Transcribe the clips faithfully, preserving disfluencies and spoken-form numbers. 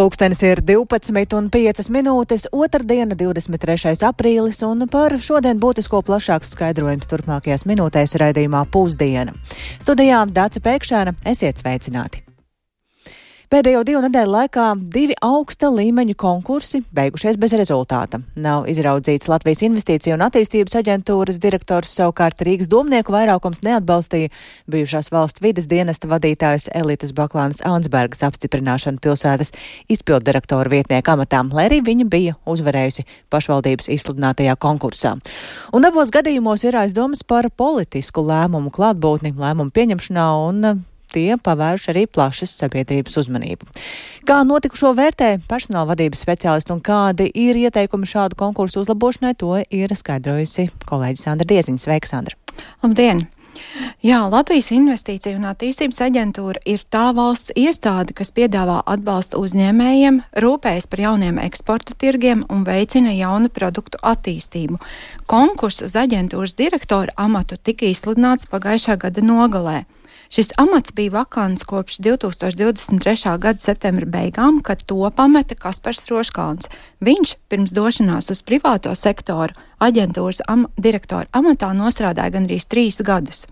Pulkstenis ir divpadsmit un piecas minūtes, otrdiena, divdesmit trešais aprīlis, un par šodien būtisko plašāks skaidrojums turpmākajās minūtēs raidījumā Pusdiena. Studijā Dace Pēkšēna, esiet sveicināti! Pēdējo divu nedēļu laikā divi augsta līmeņa konkursi beigušies bez rezultāta. Nav izraudzīts Latvijas Investīciju un attīstības aģentūras direktors, savukārt Rīgas domnieku vairākums neatbalstīja bijušās valsts vides dienesta vadītājas Elites Baklānes Aunsbergas apstiprināšanu pilsētas izpilddirektora vietnieka amatā, lai arī viņa bija uzvarējusi pašvaldības izsludinātajā konkursā. Un abos gadījumos ir aizdomas par politisku lēmumu klātbūtni lēmumu pieņemšanā, un tie pavērš arī plašas sabiedrības uzmanību. Kā notikušo vērtē personāla vadības speciālisti un kādi ir ieteikumi šādu konkursu uzlabošanai, to ir skaidrojusi kolēģi Sandra Dieziņa. Sveika, Sandra! Labdien! Jā, Latvijas Investīciju un attīstības aģentūra ir tā valsts iestāde, kas piedāvā atbalstu uzņēmējiem, rūpējas par jauniem eksporta tirgiem un veicina jaunu produktu attīstību. Konkurss uz aģentūras direktora amatu tika izsludināts pagājušā gada nogalē. Šis amats bija vakants kopš divi tūkstoši divdesmit trešā gada septembra beigām, kad to pameta Kaspars Roškalns. Viņš pirms došanās uz privāto sektoru aģentūras am direktora amatā nostrādāja gandrīz trīs gadus.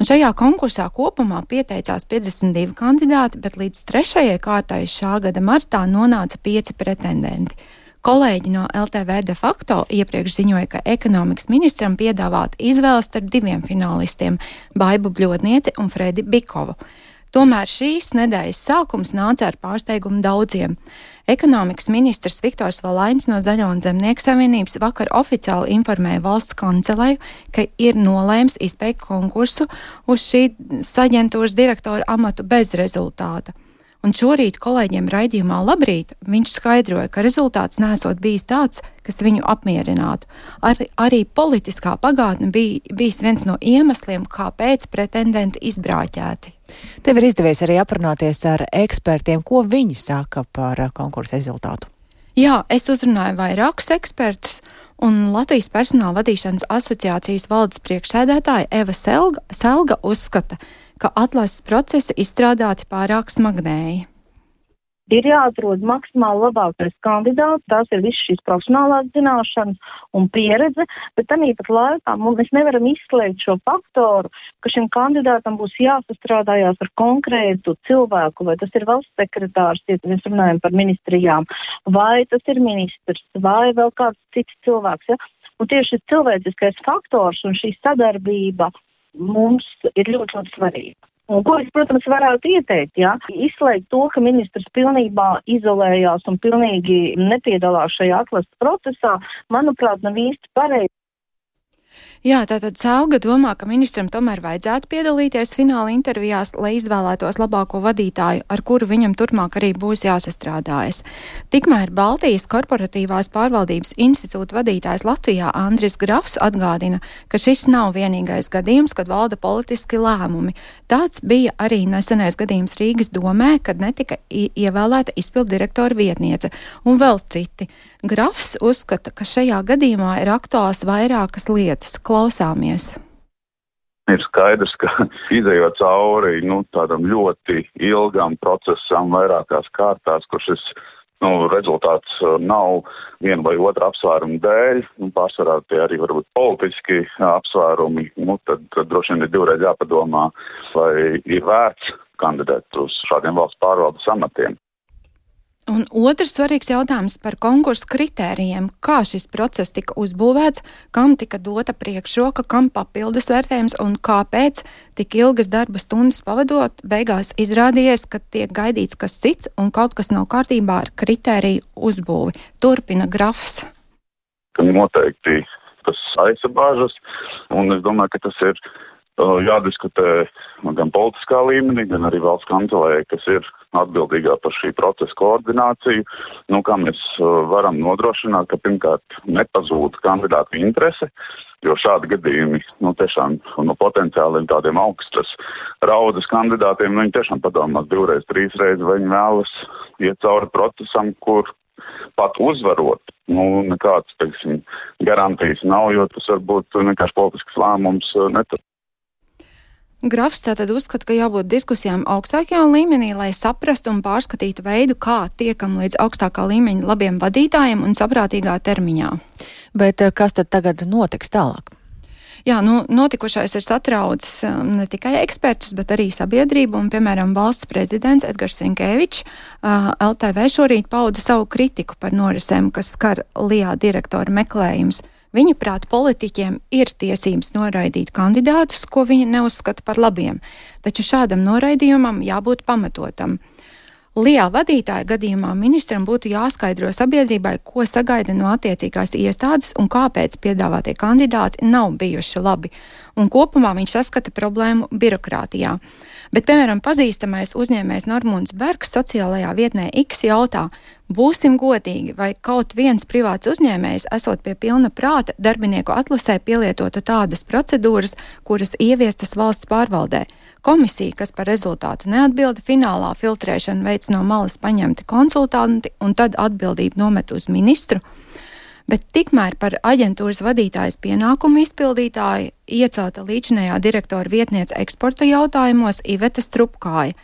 Un šajā konkursā kopumā pieteicās piecdesmit divi kandidāti, bet līdz trešajai kārtai šā gada martā nonāca pieci pretendenti. Kolēģi no L T V de facto iepriekš ziņoja, ka ekonomikas ministram piedāvāt izvēles starp diviem finālistiem – Baibu Bļodnieci un Fredi Bikovu. Tomēr šīs nedēļas sākums nāca ar pārsteigumu daudziem. Ekonomikas ministrs Viktors Valainis no Zaļo un Zemnieku savienības vakar oficiāli informēja valsts kanceleju, ka ir nolēms izbeigt konkursu uz šīs aģentūras direktora amatu bez rezultāta. Un šorīt kolēģiem raidījumā Labrīt viņš skaidroja, ka rezultāts nesot bijis tāds, kas viņu apmierinātu. Ar, arī politiskā pagātne bija bijis viens no iemesliem, kāpēc pretendenti izbrāķēti. Tev ir izdevies arī aprunāties ar ekspertiem, ko viņi saka par konkursa rezultātu. Jā, es uzrunāju vairākus ekspertus, un Latvijas personāla vadīšanas asociācijas valdes priekšsēdētāja Eva Selga, Selga uzskata, ka atlases procesi izstrādāti pārāk smagnēji. Ir jāatrod maksimāli labākais kandidāts, tās ir visas šīs profesionālās zināšanas un pieredze, bet tamīpat laikā mēs nevaram izslēgt šo faktoru, ka šim kandidātam būs jāsastrādājās ar konkrētu cilvēku, vai tas ir valsts sekretārs, ja mēs runājam par ministrijām, vai tas ir ministrs, vai vēl kāds cits cilvēks. Ja? Un tieši šis cilvēciskais faktors un šī sadarbība mums ir ļoti, ļoti svarīga. Un ko es, protams, varētu ieteikt, ja? Izslēgt to, ka ministrs pilnībā izolējās un pilnīgi nepiedalās šajā atlases procesā, manuprāt, nav īsti pareizi. Jā, tātad Selga domā, ka ministram tomēr vajadzētu piedalīties fināla intervijās, lai izvēlētos labāko vadītāju, ar kuru viņam turpmāk arī būs jāsastrādājas. Tikmēr Baltijas korporatīvās pārvaldības institūta vadītājs Latvijā Andris Grafs atgādina, ka šis nav vienīgais gadījums, kad valda politiski lēmumi. Tāds bija arī nesenais gadījums Rīgas domē, kad netika ievēlēta izpilddirektora vietniece, un vēl citi. Grafs uzskata, ka šajā gadījumā ir aktuāls vairākas lietas. Klausāmies. Ir skaidrs, ka izejot cauri nu, tādam ļoti ilgam procesam vairākās kārtās, kur šis nu, rezultāts nav viena vai otra apsvēruma dēļ, un pārsvarā tie arī varbūt politiski apsvērumi, nu, tad, tad droši vien ir divreiz jāpadomā, vai ir vērts kandidēt uz šādiem valsts pārvaldes amatiem. Un otrs svarīgs jautājums par konkursu kritērijiem. Kā šis process tika uzbūvēts, kam tika dota priekšroka, kam papildus vērtējums un kāpēc tik ilgas darba stundas pavadot, beigās izrādījies, ka tiek gaidīts kas cits un kaut kas nav kārtībā ar kritēriju uzbūvi. Turpina Grafs. Noteikti tas aizsabāžas, un es domāju, ka tas ir jādiskutē gan politiskā līmenī, gan arī valsts kancelē, kas ir atbildīgā par šī procesa koordināciju. Nu, kā mēs varam nodrošināt, ka pirmkārt nepazūd kandidātu interese, jo šādi gadījumi, nu, tiešām no potenciāliem tādiem augstas raudas kandidātiem, nu, viņi tiešām padomās divreiz, trīsreiz, vai viņi vēlas iet cauri procesam, kur pat uzvarot, nu, nekāds, teiksim, garantijas nav, jo tas varbūt vienkārši politisks lēmums netur. Grafs tātad uzskata, ka jābūt diskusijām augstākajā līmenī, lai saprastu un pārskatītu veidu, kā tiekam līdz augstākā līmeņa labiem vadītājiem un saprātīgā termiņā. Bet kas tad tagad notiks tālāk? Jā, nu, notikušais ir satraucis ne tikai ekspertus, bet arī sabiedrību, un, piemēram, valsts prezidents Edgars Rinkēvičs L T V šorīt pauda savu kritiku par norisēm, kas skar Lijā direktora meklējums. Viņa prāt, politiķiem ir tiesības noraidīt kandidātus, ko viņi neuzskata par labiem, taču šādam noraidījumam jābūt pamatotam. Lijā vadītāja gadījumā ministram būtu jāskaidro sabiedrībai, ko sagaida no attiecīgās iestādes un kāpēc piedāvātie kandidāti nav bijuši labi, un kopumā viņš saskata problēmu birokrātijā. Bet, piemēram, pazīstamais uzņēmējs Normūns Bergs sociālajā vietnē X jautā: būsim godīgi, vai kaut viens privāts uzņēmējs, esot pie pilna prāta, darbinieku atlasē pielietotu tādas procedūras, kuras ieviestas valsts pārvaldē. Komisija, kas par rezultātu neatbilda, finālā filtrēšanu veic no malas paņemti konsultanti un tad atbildību nomet uz ministru. Bet tikmēr par aģentūras vadītājas pienākumu izpildītāju iecelta līdzinējā direktora vietniece eksporta jautājumos Iveta Strupkāja.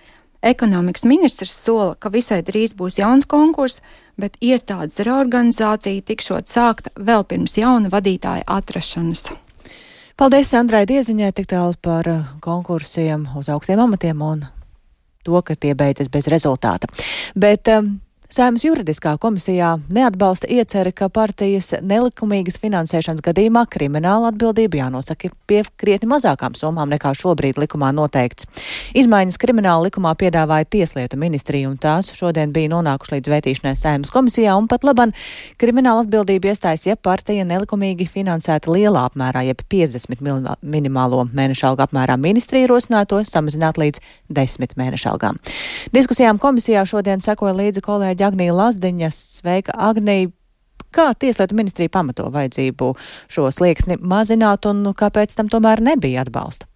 Ekonomikas ministrs sola, ka visai drīz būs jauns konkurss, bet iestādes reorganizācija tikšot sākta vēl pirms jauna vadītāja atrašanas. Paldies Sandrai Dieziņai tik tālu par konkursiem uz augstiem amatiem un to, ka tie beidzas bez rezultāta. Bet um, Saeimas juridiskā komisijā neatbalsta ieceri, ka partijas nelikumīgas finansēšanas gadījumā krimināla atbildība jānosaka pie krietni mazākām summām nekā šobrīd likumā noteikts. Izmaiņas krimināla likumā piedāvāja Tieslietu ministrija, un tās šodien bija nonākuši līdz vētīšanai Saeimas komisijā, un pat laban krimināla atbildība iestājas, ja partija nelikumīgi finansēta lielā apmērā, jeb piecdesmit minimālo mēneša algu apmērā. Ministrija rosināto samazināt līdz desmit mēneša algām. Diskusijām komisijā šodien sekoja līdzi kolēģi Agnija Lazdiņa. Sveika, Agnija! Kā Tieslietu ministrija pamato vajadzību šo slieksni mazināt un kāpēc tam tomēr nebija atbalsta?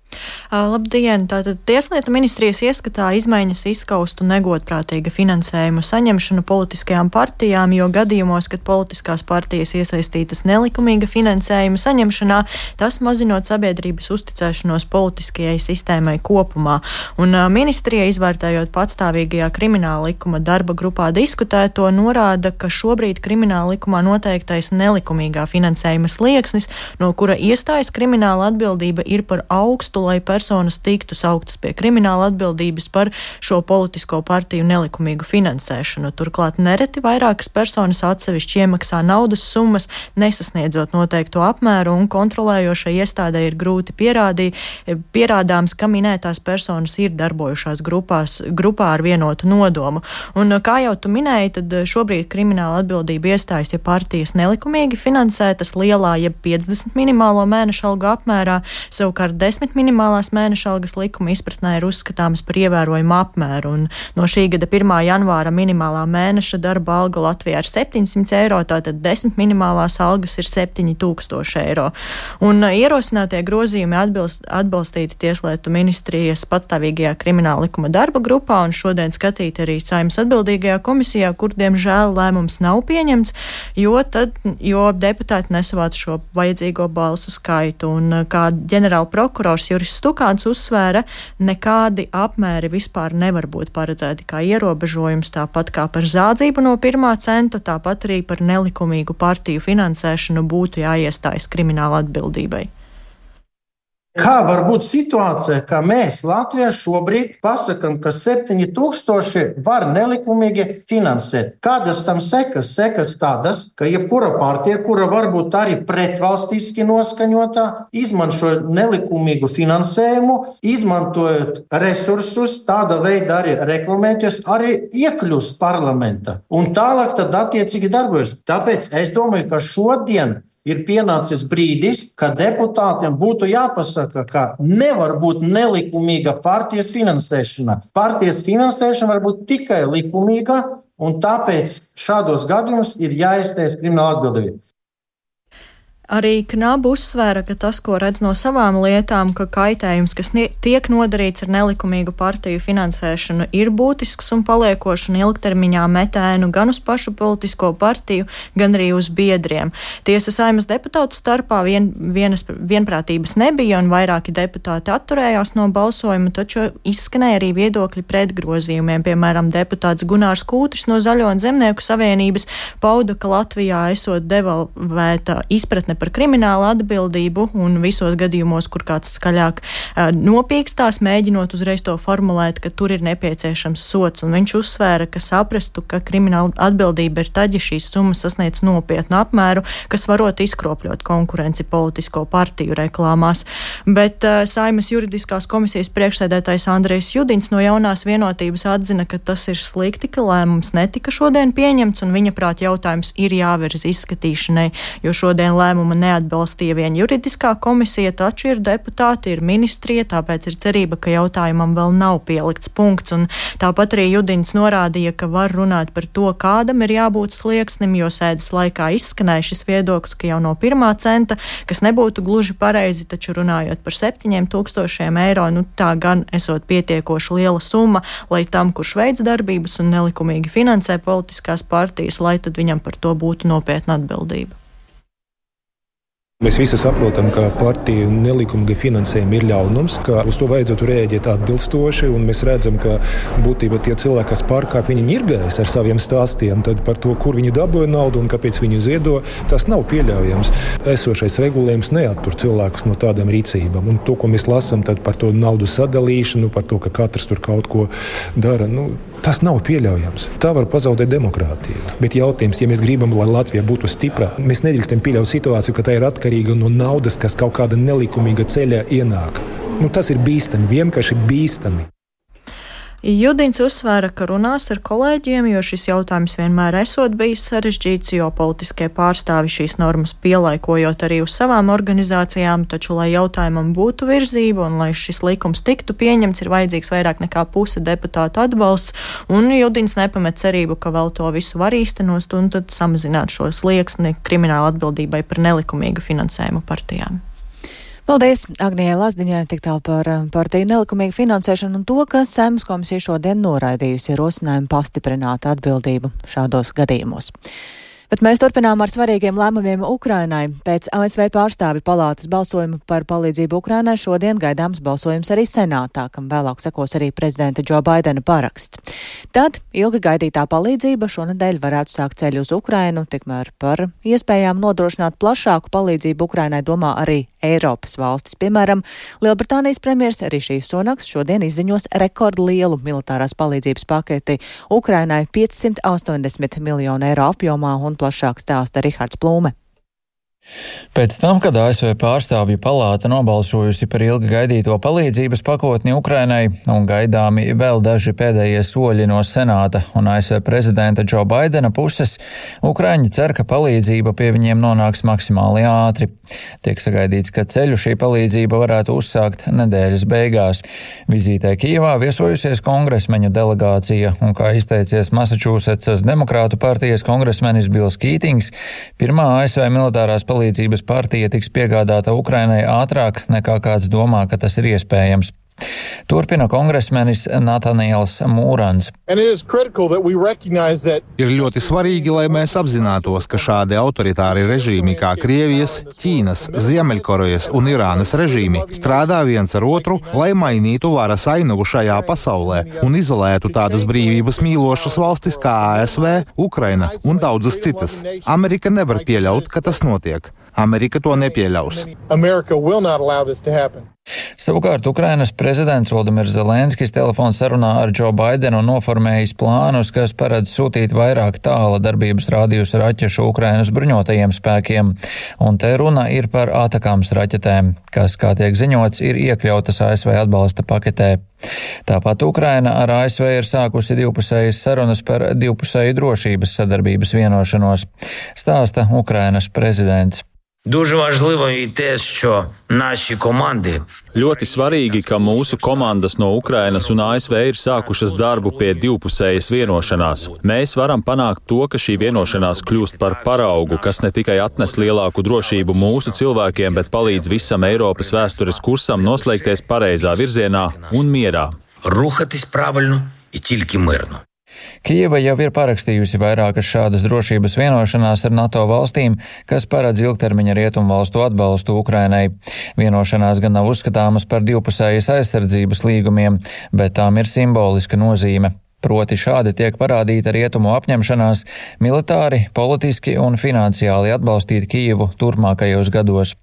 Labdien! Tātad Tieslietu ministrijas ieskatā izmaiņas izskaustu negodprātīga finansējuma saņemšanu politiskajām partijām, jo gadījumos, kad politiskās partijas iesaistītas nelikumīga finansējuma saņemšanā, tas mazinot sabiedrības uzticēšanos politiskajai sistēmai kopumā. Un ministrija, izvērtējot patstāvīgajā krimināla likuma darba grupā diskutēto, norāda, ka šobrīd krimināla likumā noteiktais nelikumīgā finansējuma slieksnis, no kura iestājas krimināla atbildība, ir par augstu, lai personas tiktu sauktas pie krimināla atbildības par šo politisko partiju nelikumīgu finansēšanu. Turklāt nereti vairākas personas atsevišķi iemaksā naudas summas, nesasniedzot noteikto apmēru, un kontrolējošai iestādē ir grūti pierādī, pierādāms, ka minētās personas ir darbojušās grupās, grupā ar vienotu nodomu. Un, kā jau tu minēji, tad šobrīd krimināla atbildība iestājas, ja partijas nelikumīgi finansētas lielā, jeb piecdesmit minimālo mēneša algu apmērā, savukārt desmit minimālās mēneša algas likuma izpratnē ir uzskatāms par ievērojumu apmēru, un no šī gada pirmā janvāra minimālā mēneša darba alga Latvijā ir septiņsimt eiro, tātad desmit minimālās algas ir septiņi tūkstoši eiro. Un ierosinātie grozījumi atbilst, atbalstīti Tieslietu ministrijas patstāvīgajā krimināla likuma darba grupā un šodien skatīti arī Saeimas atbildīgajā komisijā, kur, diemžēl, lēmums nav pieņemts, jo, tad, jo deputāti nesavāc šo vajadzīgo balsu skaitu. Un kā ģenerāla prokurors Juris Stukāns uzsvēra, nekādi apmēri vispār nevar būt paredzēti kā ierobežojums, tāpat kā par zādzību no pirmā centa, tāpat arī par nelikumīgu partiju finansēšanu būtu jāiestājas krimināla atbildībai. Kā var būt situācija, ka mēs Latvijā šobrīd pasakam, ka septiņi tūkstoši var nelikumīgi finansēt? Kādas tam sekas? Sekas tādas, ka jebkura partija, kura varbūt arī pretvalstiski noskaņotā, izmanto nelikumīgu finansējumu, izmantojot resursus, tāda veida arī reklamēties, arī iekļūst parlamentā. Un tālāk tad attiecīgi darbojas. Tāpēc es domāju, ka šodien ir pienācis brīdis, ka deputātiem būtu jāpasaka, ka nevar būt nelikumīga partijas finansēšana. Partijas finansēšana var būt tikai likumīga, un tāpēc šādos gadījumos ir jāiestājas krimināla atbildība. Arī Knaba uzsvēra, ka tas, ko redz no savām lietām, ka kaitējums, kas tiek nodarīts ar nelikumīgu partiju finansēšanu, ir būtisks un paliekošs un ilgtermiņā metēnu gan uz pašu politisko partiju, gan arī uz biedriem. Tiesa Saeimas deputātu starpā vien, vienas, vienprātības nebija un vairāki deputāti atturējās no balsojuma, taču izskanēja arī viedokļi pret grozījumiem. Piemēram, deputāts Gunārs Kūtris no Zaļo un Zemnieku savienības pauda, ka Latvijā esot devalvēta izpratne par kriminālu atbildību un visos gadījumos, kur kāds skaļāk uh, nopīkstās, mēģinot uzreiz to formulēt, ka tur ir nepieciešams sots. Un viņš uzsvēra, ka saprastu, ka krimināla atbildība ir tad, ja šīs summas sasniedz nopietnu apmēru, kas varot izkropļot konkurenci politisko partiju reklāmās. Bet uh, Saeimas juridiskās komisijas priekšsēdētājs Andrejs Judiņš no Jaunās vienotības atzina, ka tas ir slikti, ka lēmums netika šodien pieņemts, un viņa prāt jautājums ir jāvirz izskatīšanai, jo šodien lēmumu neatbalstīja vien juridiskā komisija, taču ir deputāti, ir ministrija, tāpēc ir cerība, ka jautājumam vēl nav pielikts punkts. Un tāpat arī Judiņš norādīja, ka var runāt par to, kādam ir jābūt slieksnim, jo sēdes laikā izskanēja šis viedoklis, ka jau no pirmā centa, kas nebūtu gluži pareizi, taču runājot par septiņiem tūkstošiem eiro, nu tā gan esot pietiekoši liela summa, lai tam, kurš veids darbības un nelikumīgi finansē politiskās partijas, lai tad viņam par to būtu nopietna atbildība. Mēs visi saprotam, ka partiju nelikumīga finansējuma ir ļaunums, ka uz to vajadzētu rēģēt atbilstoši, un mēs redzam, ka būtībā tie cilvēki, kas pārkāp, viņi ņirgājas ar saviem stāstiem, tad par to, kur viņi dabūja naudu un kāpēc viņi ziedo, tas nav pieļaujams. Esošais regulējums neattur cilvēkus no tādām rīcībām, un to, ko mēs lasām tad par to naudu sadalīšanu, par to, ka katrs tur kaut ko dara, nu, tas nav pieļaujams. Tā var pazaudēt demokrātiju. Bet jautājums, ja mēs gribam, lai Latvija būtu stipra, mēs nedrīkstam pieļaut situāciju, ka tā ir atkarīga no naudas, kas kaut kāda nelikumīga ceļā ienāk. Nu, tas ir bīstami, vienkārši bīstami. Judiņš uzsvēra, ka runās ar kolēģiem, jo šis jautājums vienmēr esot bijis sarežģīts, jo politiskie pārstāvi šīs normas pielaikojot arī uz savām organizācijām, taču, lai jautājumam būtu virzība un lai šis likums tiktu pieņemts, ir vajadzīgs vairāk nekā puse deputātu atbalsts, un Judiņš nepamet cerību, ka vēl to visu var īstenot un tad samazināt šo slieksni krimināla atbildībai par nelikumīgu finansējumu partijām. Paldies Agnijai Lazdiņai tik tālu par partiju nelikumīgu finansēšanu un to, ka Saeimas komisija šodien noraidījusi ierosinājumu pastiprināt atbildību šādos gadījumos. Bet mēs turpinām ar svarīgiem lēmumiem Ukrainai. Pēc A S V pārstāvi palātas balsojuma par palīdzību Ukrainai šodien gaidāms balsojums arī senātā, kam vēlāk sekos arī prezidenta Džo Baidena paraksts. Tad ilgi gaidītā palīdzība šonedēļ varētu sākt ceļu uz Ukrainu, tikmēr par iespējām nodrošināt plašāku palīdzību Ukrainai domā arī Eiropas valstis. Piemēram, Lielbritānijas premjers Rišijs Sunaks šodien izziņos rekordlielu militārās palīdzības paketi Ukrainai piecsimt astoņdesmit miljonu eiro apjomā un plašāk stāsta Rihards Plūme. Pēc tam, kad A S V pārstāvju palāta nobalsojusi par ilgi gaidīto palīdzības pakotni Ukrainai un gaidāmi vēl daži pēdējie soļi no senāta un A S V prezidenta Džo Baidena puses, Ukraiņi cer, ka palīdzība pie viņiem nonāks maksimāli ātri. Tiek sagaidīts, ka ceļu šī palīdzība varētu uzsākt nedēļas beigās. Vizītē Kijevā viesojusies kongresmeņu delegācija un, kā izteicies Masačūsetsas demokrātu partijas kongresmenis Bils Kītings, pirmā A S V militārās palīdzības palīdzības partija tiks piegādāta Ukrainai ātrāk nekā kāds domā, ka tas ir iespējams. Turpina kongresmenis Nataniels Mūrans. Ir ļoti svarīgi, lai mēs apzinātos, ka šādi autoritāri režīmi kā Krievijas, Ķīnas, Ziemeļkorejas un Irānas režīmi strādā viens ar otru, lai mainītu varas ainavu šajā pasaulē un izolētu tādas brīvības mīlošas valstis kā A S V, Ukraina un daudzas citas. Amerika nevar pieļaut, ka tas notiek. Amerika to nepieļaus. Savukārt Ukrainas prezidents Volodimirs Zelenskis telefons sarunā ar Džo Baidenu noformējis plānus, kas paredz sūtīt vairāk tāla darbības rādījusa raķešu Ukrainas bruņotajiem spēkiem, un te runa ir par Atakams raķetēm, kas, kā tiek ziņots, ir iekļautas A S V atbalsta paketē. Tāpat Ukraina ar A S V ir sākusi divpusējas sarunas par divpusēju drošības sadarbības vienošanos, stāsta Ukrainas prezidents. Дуже важливо і те, що наші команди. Ļoti svarīgi, ka mūsu komandas no Ukrainas un A S V ir sākušas darbu pie divpusējas vienošanās. Mēs varam panākt to, ka šī vienošanās kļūst par paraugu, kas ne tikai atnes lielāku drošību mūsu cilvēkiem, bet palīdz visam Eiropas vēstures kursam noslēgties pareizā virzienā un mierā. Рухатись правильно і тільки мирно. Kijeva jau ir parakstījusi vairākas šādas drošības vienošanās ar NATO valstīm, kas paredz ilgtermiņa rietumu valstu atbalstu Ukrainai. Vienošanās gan nav uzskatāmas par divpusējas aizsardzības līgumiem, bet tām ir simboliska nozīme. Proti šādi tiek parādīta rietumu apņemšanās militāri, politiski un finansiāli atbalstīt Kijevu turpmākajos gados.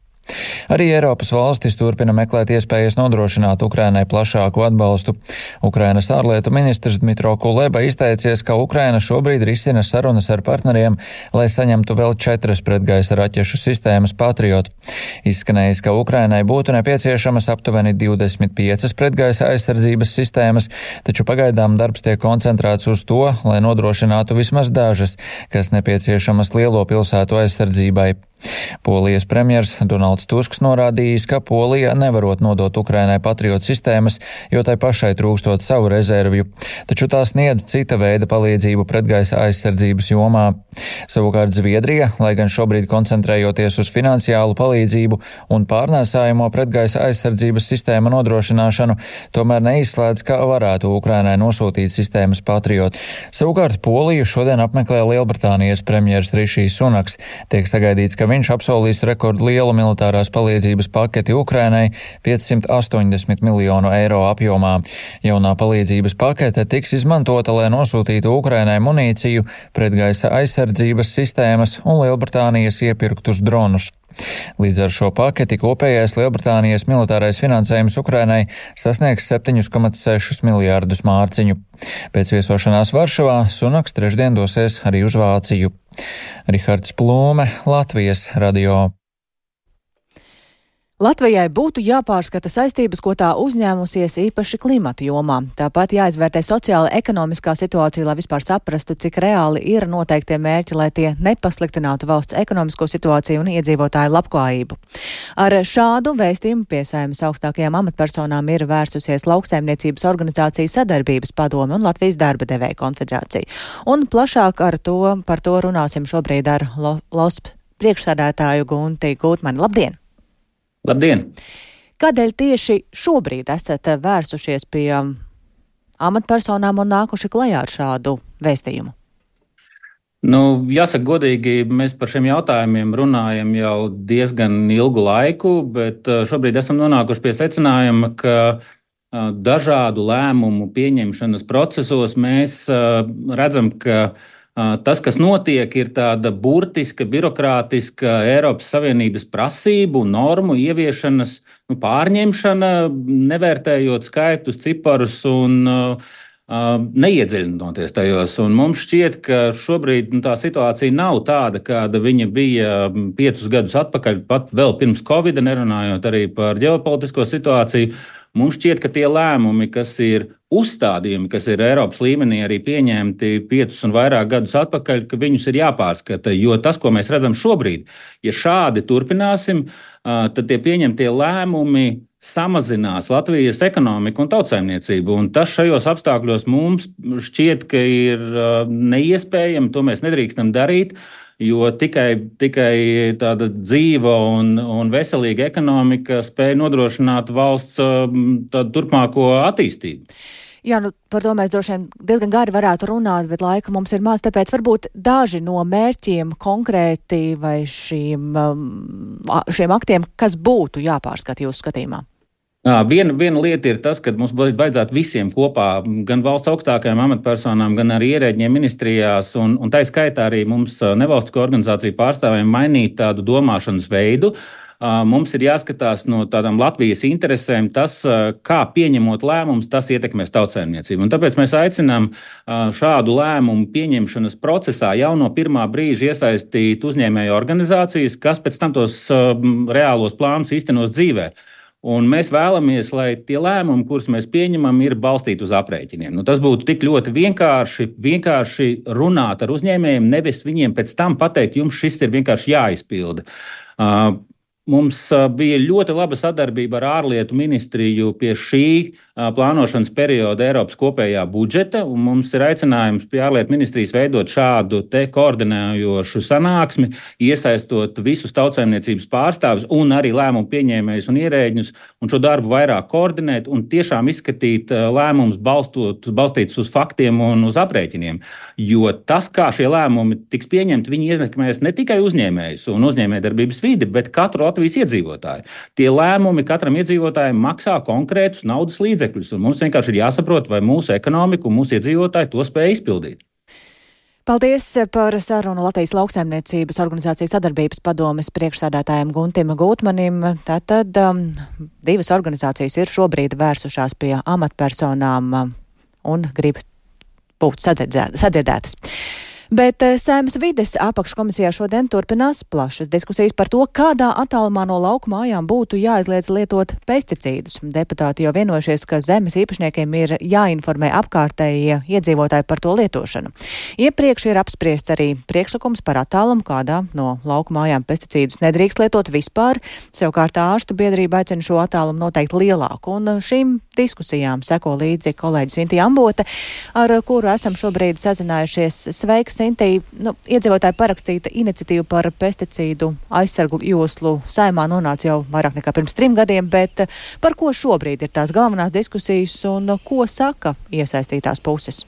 Arī Eiropas valstis turpina meklēt iespējas nodrošināt Ukrainai plašāku atbalstu. Ukrainas ārlietu ministrs Dmitro Kuleba izteicies, ka Ukraina šobrīd risina sarunas ar partneriem, lai saņemtu vēl četras pretgaisa raķešu sistēmas Patriot. Izskanējis, ka Ukrainai būtu nepieciešamas aptuveni divdesmit piecas pretgaisa aizsardzības sistēmas, taču pagaidām darbs tiek koncentrēts uz to, lai nodrošinātu vismaz dažas, kas nepieciešamas lielo pilsētu aizsardzībai. Polijas premjers Donalds Tusks norādījis, ka Polija nevarot nodot Ukrainai Patriot sistēmas, jo tai pašai trūkstot savu rezervju, taču tā sniedz cita veida palīdzību pretgaisa aizsardzības jomā. Savukārt Zviedrija, lai gan šobrīd koncentrējoties uz finansiālu palīdzību un pārnēsājamo pretgaisa aizsardzības sistēmu nodrošināšanu, tomēr neizslēdz, ka varētu Ukrainai nosūtīt sistēmas Patriot. Savukārt Poliju šodien apmeklē Lielbritānijas premjers Rišijs Sunaks. Tiek sagaidīts, ka viņš apsolīs rekordu lielu militārās palīdzības paketi Ukrainai piecsimt astoņdesmit miljonu eiro apjomā. Jaunā palīdzības pakete tiks izmantota, lai nosūtītu Ukrainai munīciju, pretgaisa aizsardzības sistēmas un Lielbritānijas iepirktus dronus. Līdz ar šo paketi kopējais Lielbritānijas militārais finansējums Ukrainai sasniegs septiņi komats seši miljārdus mārciņu. Pēc viesošanās Varšavā Sunaks trešdien dosies arī uz Vāciju. Rihards Plūme, Latvijas radio. Latvijai būtu jāpārskata saistības, ko tā uzņēmusies īpaši klimata jomā. Tāpat jāizvērtē sociāla ekonomiskā situācija, lai vispār saprastu, cik reāli ir noteiktie mērķi, lai tie nepasliktinātu valsts ekonomisko situāciju un iedzīvotāju labklājību. Ar šādu vēstījumu pie Saeimas augstākajām amatpersonām ir vērsusies Lauksaimniecības organizācija Sadarbības padome un Latvijas darba devēja konfederācija. Un plašāk ar to, par to runāsim šobrīd ar L O S P priekšsēdētāju Gunti Gūtmani. Labdien! Labdien! Kādēļ tieši šobrīd esat vērsušies pie amatpersonām un nākuši klajā ar šādu vēstījumu? Nu, jāsaka godīgi, mēs par šiem jautājumiem runājam jau diezgan ilgu laiku, bet šobrīd esam nonākuši pie secinājuma, ka dažādu lēmumu pieņemšanas procesos mēs redzam, ka tas, kas notiek, ir tāda burtiska, birokrātiska Eiropas Savienības prasību, normu ieviešanas nu, pārņemšana, nevērtējot skaitus, ciparus un uh, neiedziļinoties tajos. Un mums šķiet, ka šobrīd nu, tā situācija nav tāda, kāda viņa bija piecus gadus atpakaļ, pat vēl pirms Covida, nerunājot arī par ģeopolitisko situāciju. Mums šķiet, ka tie lēmumi, kas ir uzstādījumi, kas ir Eiropas līmenī arī pieņemti piecus un vairāk gadus atpakaļ, ka viņus ir jāpārskata. Jo tas, ko mēs redzam šobrīd, ja šādi turpināsim, tad tie pieņemtie lēmumi samazinās Latvijas ekonomiku un tautsaimniecību. Un tas šajos apstākļos mums šķiet, ka ir neiespējami, to mēs nedrīkstam darīt. Jo tikai, tikai tāda dzīva un, un veselīga ekonomika spēja nodrošināt valsts tādu turpmāko attīstību. Jā, nu, par to mēs droši vien diezgan gari varētu runāt, bet laika mums ir maz, tāpēc varbūt daži no mērķiem konkrēti vai šīm, šiem aktiem, kas būtu jāpārskata jūsu skatījumā? Viena, viena lieta ir tas, ka mums vajadzētu visiem kopā, gan valsts augstākajām amatpersonām, gan arī ierēģiem ministrijās, un, un tā skaitā arī mums nevalstisko organizāciju pārstāvjiem mainīt tādu domāšanas veidu. Mums ir jāskatās no tādām Latvijas interesēm tas, kā pieņemot lēmumus, tas ietekmēs tautsaimniecību. Un tāpēc mēs aicinām šādu lēmumu pieņemšanas procesā jau no pirmā brīža iesaistīt uzņēmēju organizācijas, kas pēc tam tos reālos plānus īstenos dzīvē. Un mēs vēlamies, lai tie lēmumi, kurus mēs pieņemam, ir balstīti uz aprēķiniem. Nu, tas būtu tik ļoti vienkārši, vienkārši runāt ar uzņēmējiem, nevis viņiem pēc tam pateikt, jums šis ir vienkārši jāizpilda. Uh, Mums bija ļoti laba sadarbība ar ārlietu ministriju pie šī plānošanas perioda Eiropas kopējā budžeta, un mums ir aicinājums pie ārlietu ministrijas veidot šādu te koordinējošu sanāksmi, iesaistot visus tautsaimniecības pārstāvus un arī lēmumu pieņēmējus un ierēģņus, un šo darbu vairāk koordinēt un tiešām izskatīt lēmumus balstot, balstītus uz faktiem un uz aprēķiniem. Jo tas, kā šie lēmumi tiks pieņemti, viņi ietekmēs ne tikai uzņēmējus un uzņēmējdarbības vidi, bet katru Latvijas iedzīvotāju. Tie lēmumi katram iedzīvotājiem maksā konkrētus naudas līdzekļus, un mums vienkārši ir jāsaprot, vai mūsu ekonomika un mūsu iedzīvotāji to spēj izpildīt. Paldies par sarunu Latvijas lauksaimniecības organizācijas sadarbības padomes priekšsēdētājiem Guntim Gūtmanim. Tātad um, divas organizācijas ir šobrīd vērsušās pie amatpersonām um, un grib būt sadzirdētas. Bet Saeimas vides apakškomisijā šodien turpinās plašas diskusijas par to, kādā attālumā no lauku mājām būtu jāizliedz lietot pesticīdus. Deputāti jau vienojušies, ka zemes īpašniekiem ir jāinformē apkārtējie iedzīvotāji par to lietošanu. Iepriekš ir apspriests arī priekšlikums par attālumu, kādā no lauku mājām pesticīdus nedrīkst lietot vispār. Savukārt ārstu biedrība aicina šo attālumu noteikti lielāku, un šīm diskusijām seko līdzi kolēģis Intija Ambote, ar kuru esam šobrīd sazinājušies. Sveiks, Intī, nu, iedzīvotāji parakstīta iniciatīva par pesticīdu aizsargu joslu Saeimā nonāca jau vairāk nekā pirms trim gadiem, bet par ko šobrīd ir tās galvenās diskusijas un ko saka iesaistītās puses?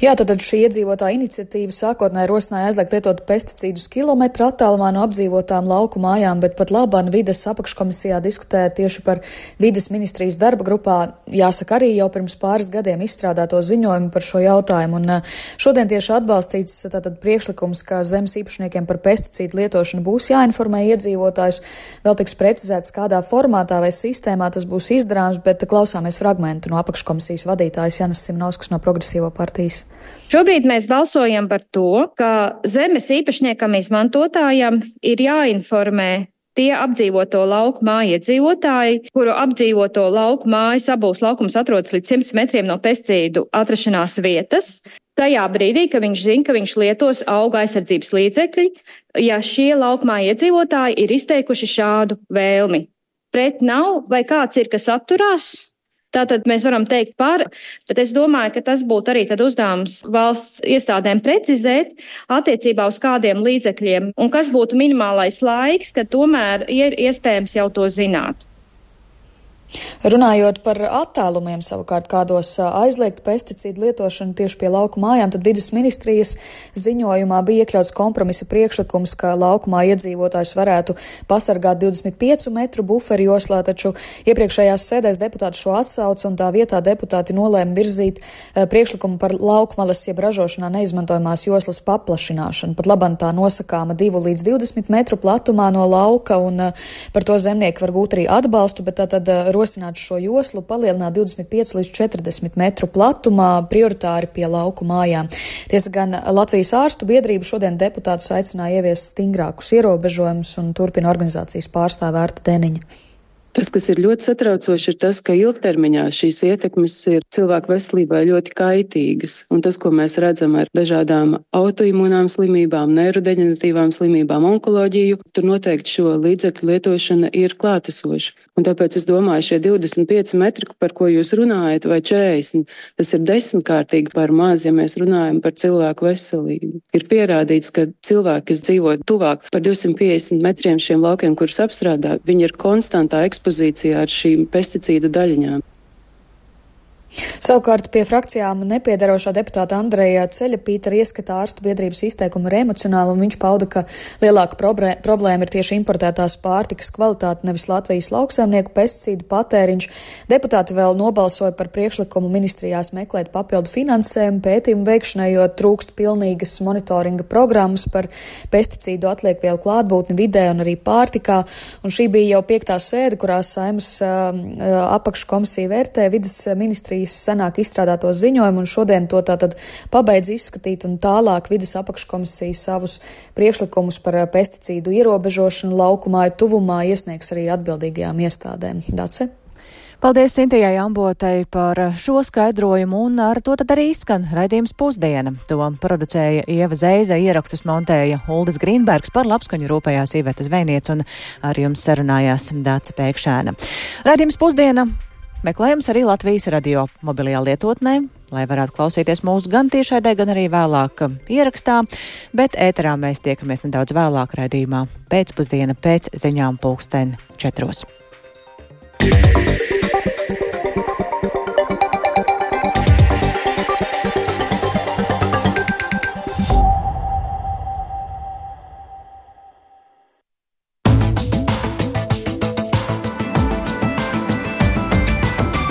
Jā, tad šī iedzīvotāja iniciatīva sākotnēji rosināja aizliegt lietot pesticīdus kilometru attālumā no apdzīvotām lauku mājām, bet pat labāk vides apakškomisijā diskutēja tieši par vides ministrijas darba grupā, jāsaka arī jau pirms pāris gadiem izstrādāto ziņojumu par šo jautājumu. Un šodien tieši atbalstīts tātad priekšlikums, ka zemes īpašniekiem par pesticīdu lietošanu būs jāinformē iedzīvotājus. Vēl tiks precizēts, kādā formātā vai sistēmā tas būs izdarāms, bet klausāmies fragmentu no apakškomisijas vadītājas Janas Simnauskas no Progresīvo partijas. Šobrīd mēs balsojam par to, ka zemes īpašniekam izmantotājam ir jāinformē tie apdzīvoto lauku māju iedzīvotāji, kuru apdzīvoto lauku mājas abūs laukums atrodas līdz simts metriem no pesticīdu atrašanās vietas. Tajā brīdī, ka viņš zina, ka viņš lietos auga aizsardzības līdzekļi, ja šie lauku māju iedzīvotāji ir izteikuši šādu vēlmi. Pret nav vai kāds ir, kas atturās? Tātad mēs varam teikt par, bet es domāju, ka tas būtu arī tad uzdevums valsts iestādēm precizēt attiecībā uz kādiem līdzekļiem un kas būtu minimālais laiks, kad tomēr ir iespējams jau to zināt. Runājot par attālumiem savukārt, kādos aizliegt pesticīdu lietošanu tieši pie lauku mājām, tad vides ministrijas ziņojumā bija iekļauts kompromisa priekšlikums, ka laukumā iedzīvotājs varētu pasargāt divdesmit piecu metru buferu joslā, taču iepriekšējās sēdēs deputāti šo atsauc un tā vietā deputāti nolēma virzīt priekšlikumu par laukmalas jeb ražošanā neizmantojamās joslas paplašināšanu. Pat labam tā nosakāma divu līdz divdesmit metru platumā no lauka, un par to zemnieki var gūt arī atbalstu, bet tātad rosināt šo joslu palielināt divdesmit pieci līdz četrdesmit metru platumā, prioritāri pie lauku mājām. Tiesa gan Latvijas ārstu biedrība šodien deputātus aicināja ieviest stingrākus ierobežojumus un turpina organizācijas pārstāve Ārta Deniņa. Tas, kas ir ļoti satraucoši, ir tas, ka ilgtermiņā šīs ietekmes ir cilvēku veselībai ļoti kaitīgas. Un tas, ko mēs redzam ar dažādām autoimūnām slimībām, neirodeģeneratīvām slimībām, onkoloģiju, tur noteikti šo līdzekļu lietošana ir klātesoša. Un tāpēc es domāju, šie divdesmit pieci metri, par ko jūs runājat, vai četrdesmit, tas ir desmitkārtīgi par maz, ja mēs runājam par cilvēku veselību. Ir pierādīts, ka cilvēki, kas dzīvo tuvāk par divsimt piecdesmit metriem šiem laukiem, kurus apstrādā, viņi ir konstantā ekspozīcijā ar šīm pesticīdu daļiņām. Savukārt pie frakcijām nepiedarošā deputāta Andreja Ceļapīta ieskatā ārstu biedrības izteikumu ir emocionāli, un viņš pauda, ka lielāka problēma ir tieši importētās pārtikas kvalitāte, nevis Latvijas lauksaimnieku pesticīdu patēriņš. Deputāti vēl nobalsoja par priekšlikumu ministrijās meklēt papildu finansējumu pētījumu veikšanai, jo trūkst pilnīgas monitoringa programmas par pesticīdu atliekvielu klātbūtni vidē un arī pārtikā. Un šī bija jau piektā sēde, kurā Saeimas uh, apakškomisija vērtē vides ministrijas komisijas senāk izstrādāto ziņojumu, un šodien to tātad pabeidz izskatīt, un tālāk vides apakškomisija savus priekšlikumus par pesticīdu ierobežošanu laukumāju tuvumā iesniegs arī atbildīgajām iestādēm. Dace? Paldies Sintijai Ambotei par šo skaidrojumu, un ar to tad arī izskan raidījums Pusdiena. To producēja Ieva Zeize, ierakstus montēja Uldis Grīnbergs, par labskaņu rūpējās Iveta Zvejniece, un ar jums sarunājās Dace Pēkšēna. Raidījums Pusdiena meklējums arī Latvijas radio mobilajā lietotnē, lai varētu klausīties mūsu gan tiešraidē, gan arī vēlāk ierakstā, bet ēterā mēs tiekamies nedaudz vēlāk raidījumā pēcpusdiena pēc ziņām pulksten četros.